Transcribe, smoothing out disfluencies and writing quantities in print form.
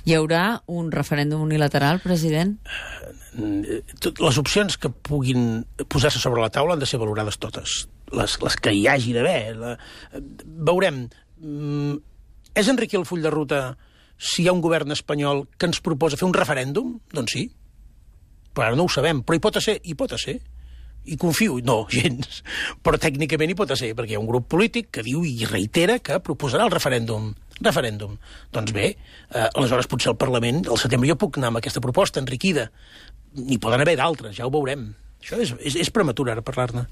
Hi haurà un referèndum unilateral, president? Les opcions que puguin posar-se sobre la taula han de ser valorades totes. Les que hi hagi d'haver. Veurem. És enriquir el full de ruta si hi ha un govern espanyol que ens proposa fer un referèndum? Doncs sí. Però ara no ho sabem. Però hi pot ser. I confio. No, gens. Però tècnicament hi pot ser, perquè hi ha un grup polític que diu i reitera que proposarà el referèndum. Doncs bé, aleshores potser el Parlament, al setembre, jo puc anar amb aquesta proposta enriquida. N'hi poden haver d'altres, ja ho veurem. Això és prematur ara parlar-ne.